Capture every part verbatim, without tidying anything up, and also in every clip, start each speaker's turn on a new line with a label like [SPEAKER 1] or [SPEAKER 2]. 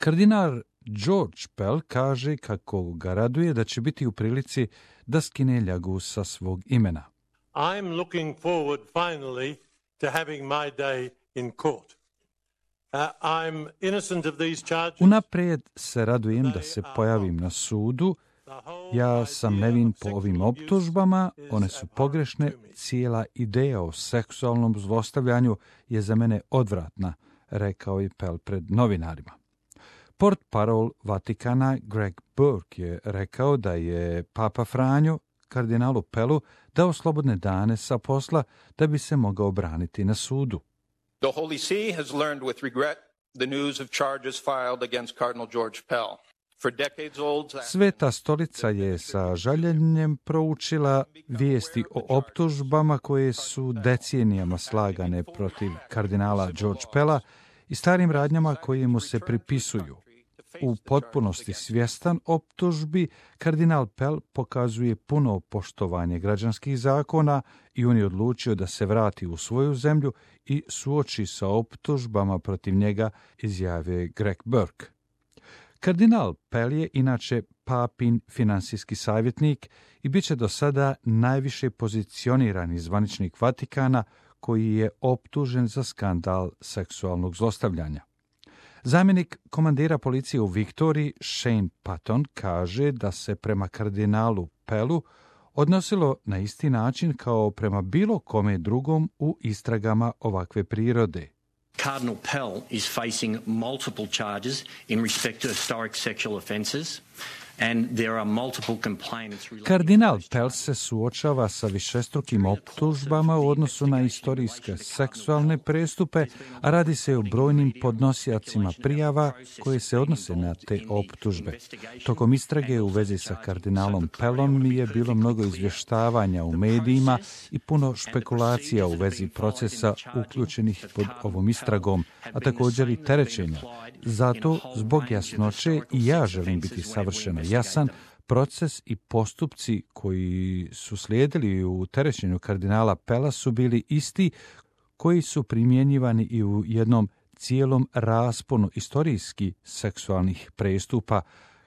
[SPEAKER 1] Kardinal George Pell kaže kako ga raduje da će biti u prilici da skine ljagu sa svog imena.
[SPEAKER 2] I'm looking forward finally to having my day in court. Uh, I'm innocent of these charges.
[SPEAKER 1] Unaprijed se radujem da se pojavim na sudu. Ja sam nevin po ovim optužbama, one su pogrešne, cijela ideja o seksualnom zlostavljanju je za mene odvratna, rekao je Pell pred novinarima. Portparol Vatikana Greg Burke je rekao da je Papa Franjo kardinalu Pellu dao slobodne dane sa posla da bi se mogao braniti na sudu.
[SPEAKER 3] The Holy See has learned with regret the news of charges filed against Cardinal George Pell.
[SPEAKER 1] Sveta stolica je sa žaljenjem proučila vijesti o optužbama koje su decenijama slagane protiv kardinala George Pella i starim radnjama koje mu se pripisuju. U potpunosti svjestan optužbi, kardinal Pell pokazuje puno poštovanje građanskih zakona i on je odlučio da se vrati u svoju zemlju i suoči sa optužbama protiv njega, izjavio Greg Burke. Kardinal Pell je inače papin finansijski savjetnik i bit će do sada najviše pozicionirani zvaničnik Vatikana koji je optužen za skandal seksualnog zlostavljanja. Zamjenik komandira policije u Viktoriji, Shane Patton, kaže da se prema kardinalu Pellu odnosilo na isti način kao prema bilo kome drugom u istragama ovakve prirode.
[SPEAKER 4] Cardinal Pell is facing multiple charges in respect to historic sexual offences. And there are multiple complainants.
[SPEAKER 1] Kardinal Pell se suočava sa višestrukim optužbama u odnosu na istorijske seksualne prestupe, a radi se o brojnim podnosiocima prijava koje se odnose na te optužbe. Tokom istrage u vezi sa kardinalom Pellom je bilo mnogo izvještavanja u medijima i puno špekulacija u vezi procesa uključenih pod ovom istragom, a također i terećenja. Zato, zbog jasnoće, i ja želim biti savršeno jasan, proces i postupci koji su slijedili u terećenju kardinala Pella su bili isti koji su primjenjivani i u jednom cijelom rasponu istorijski seksualnih prestupa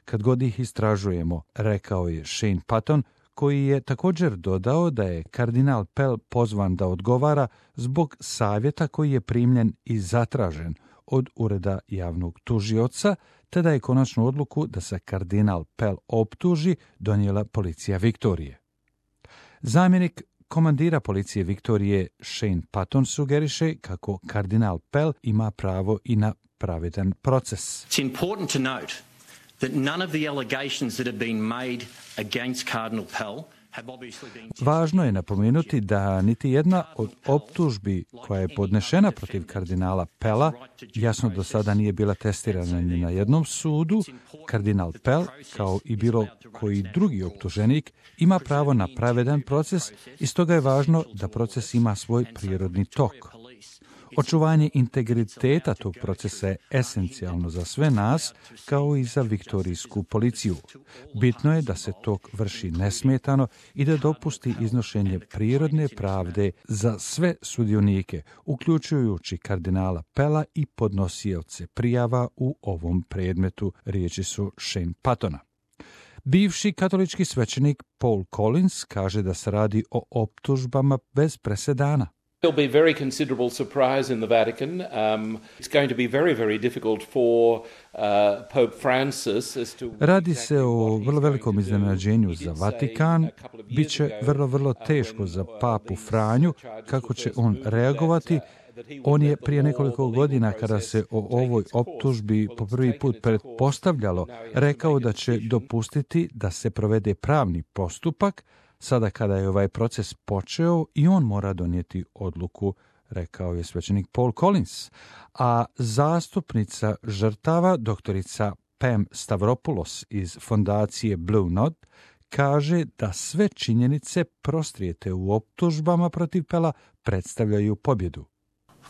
[SPEAKER 1] kad god ih istražujemo, rekao je Shane Patton, koji je također dodao da je kardinal Pell pozvan da odgovara zbog savjeta koji je primljen i zatražen od ureda javnog tužioca, te da je konačnu odluku da se kardinal Pell optuži donijela policija Viktorije. Zamjenik komandira policije Viktorije Shane Patton sugeriše kako kardinal Pell ima pravo i na pravedan proces.
[SPEAKER 4] It's important to note that none of the allegations that have been made against Cardinal Pell.
[SPEAKER 1] Važno je napomenuti da niti jedna od optužbi koja je podnešena protiv kardinala Pella jasno do sada nije bila testirana ni na jednom sudu. Kardinal Pell, kao i bilo koji drugi optuženik, ima pravo na pravedan proces i stoga je važno da proces ima svoj prirodni tok. Očuvanje integriteta tog procesa je esencijalno za sve nas, kao i za viktorijsku policiju. Bitno je da se tok vrši nesmetano i da dopusti iznošenje prirodne pravde za sve sudionike, uključujući kardinala Pella i podnosioce prijava u ovom predmetu, riječi su Shane Pattona. Bivši katolički svećenik Paul Collins kaže da se radi o optužbama bez presedana.
[SPEAKER 5] There'll be very considerable surprise in the Vatican. Um, it's going to be very, very difficult for uh, Pope Francis as to...
[SPEAKER 1] Radi se o vrlo velikom iznenađenju za Vatikan. Biće vrlo, vrlo teško za papu Franju kako će on reagovati. On je prije nekoliko godina, kada se o ovoj optužbi po prvi put pretpostavljalo, rekao da će dopustiti da se provede pravni postupak. Sada kada je ovaj proces počeo i on mora donijeti odluku, rekao je svećenik Paul Collins. A zastupnica žrtava, doktorica Pam Stavropoulos iz fondacije Blue Knot, kaže da sve činjenice prostrijete u optužbama protiv Pella predstavljaju pobjedu.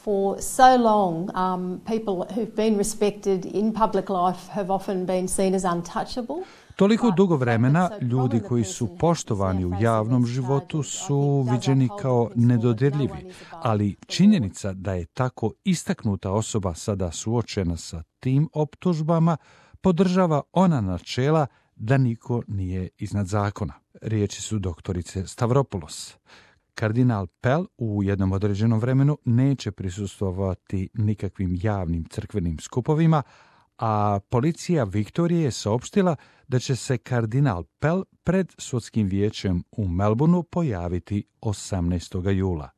[SPEAKER 6] For so long, um, people who've been respected in public life have often been seen as untouchable.
[SPEAKER 1] Toliko dugo vremena ljudi koji su poštovani u javnom životu su viđeni kao nedodirljivi, ali činjenica da je tako istaknuta osoba sada suočena sa tim optužbama podržava ona načela da niko nije iznad zakona. Riječi su doktorice Stavropoulos. Kardinal Pell u jednom određenom vremenu neće prisustvovati nikakvim javnim crkvenim skupovima, a policija Viktorije je saopštila da će se kardinal Pell pred sudskim vijećem u Melbourneu pojaviti osamnaestog jula.